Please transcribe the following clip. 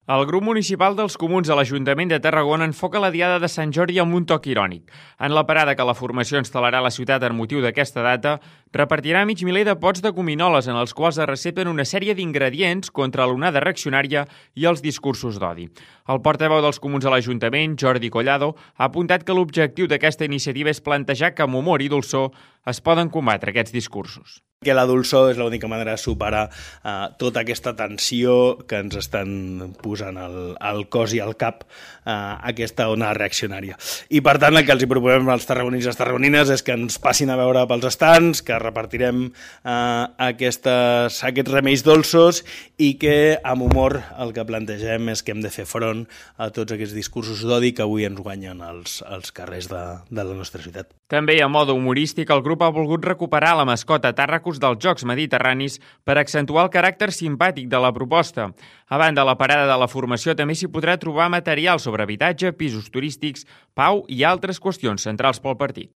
El grup municipal dels Comuns a l'Ajuntament de Tarragona enfoca la Diada de Sant Jordi amb un toc irònic. En la parada que la formació instal·larà a la ciutat en motiu d'aquesta data, repartirà mig miler de pots de gominoles en els quals es recepten una sèrie d'ingredients contra l'onada reaccionària i els discursos d'odi. El portaveu dels Comuns a l'Ajuntament, Jordi Collado, ha apuntat que l'objectiu d'aquesta iniciativa és plantejar que amb humor i dolçor es poden combatre aquests discursos. Que la dolçor és l'única manera de superar tota aquesta tensió que ens estan posant al cos i al cap aquesta ona reaccionària. I per tant el que els hi proposem als tarragonins i les tarragonines és que ens passin a veure pels estants, que repartirem aquests remeis dolços i que amb humor el que plantegem és que hem de fer front a tots aquests discursos d'odi que avui ens guanyen als carrers de la nostra ciutat. També a mode humorístic, el grup ha volgut recuperar la mascota Tàrracos dels Jocs Mediterranis per accentuar el caràcter simpàtic de la proposta. A banda de la parada de la formació, també s'hi podrà trobar material sobre habitatge, pisos turístics, pau i altres qüestions centrals pel partit.